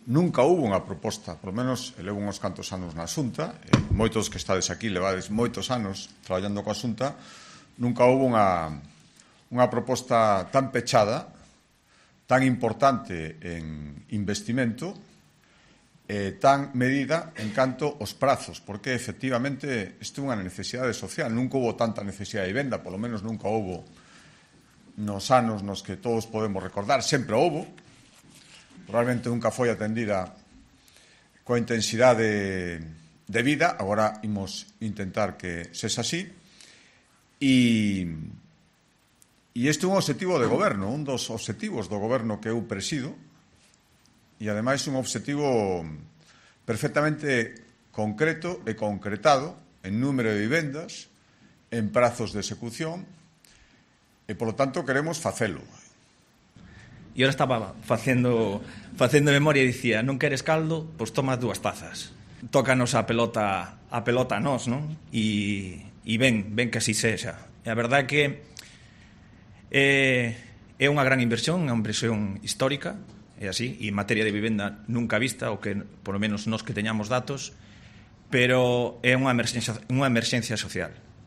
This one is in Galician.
nunca houve unha proposta, polo menos levo uns cantos anos na Xunta, moitos que estades aquí levades moitos anos traballando coa Xunta, nunca houve unha proposta tan pechada, tan importante en investimento, tan medida en canto aos prazos, porque efectivamente isto é unha necesidade social, nunca houve tanta necesidade de vivenda, polo menos nunca houve nos anos nos que todos podemos recordar, sempre houve, probablemente nunca foi atendida coa intensidade de vida, agora imos intentar que sexa así, e este é un obxectivo de goberno, un dos obxectivos do goberno que eu presido, e ademais un obxectivo perfectamente concreto e concretado en número de vivendas, en prazos de execución, e, polo tanto, queremos facelo. E ora estaba facendo memoria e dicía, non queres caldo, pois tomas 2 tazas. Tócanos a pelota a nós, non? E ben que así sexa. E a verdade é que é unha gran inversión, unha inversión histórica, é así, e en materia de vivenda nunca vista, o que, por lo menos, nós que teñamos datos, pero é unha emerxencia social.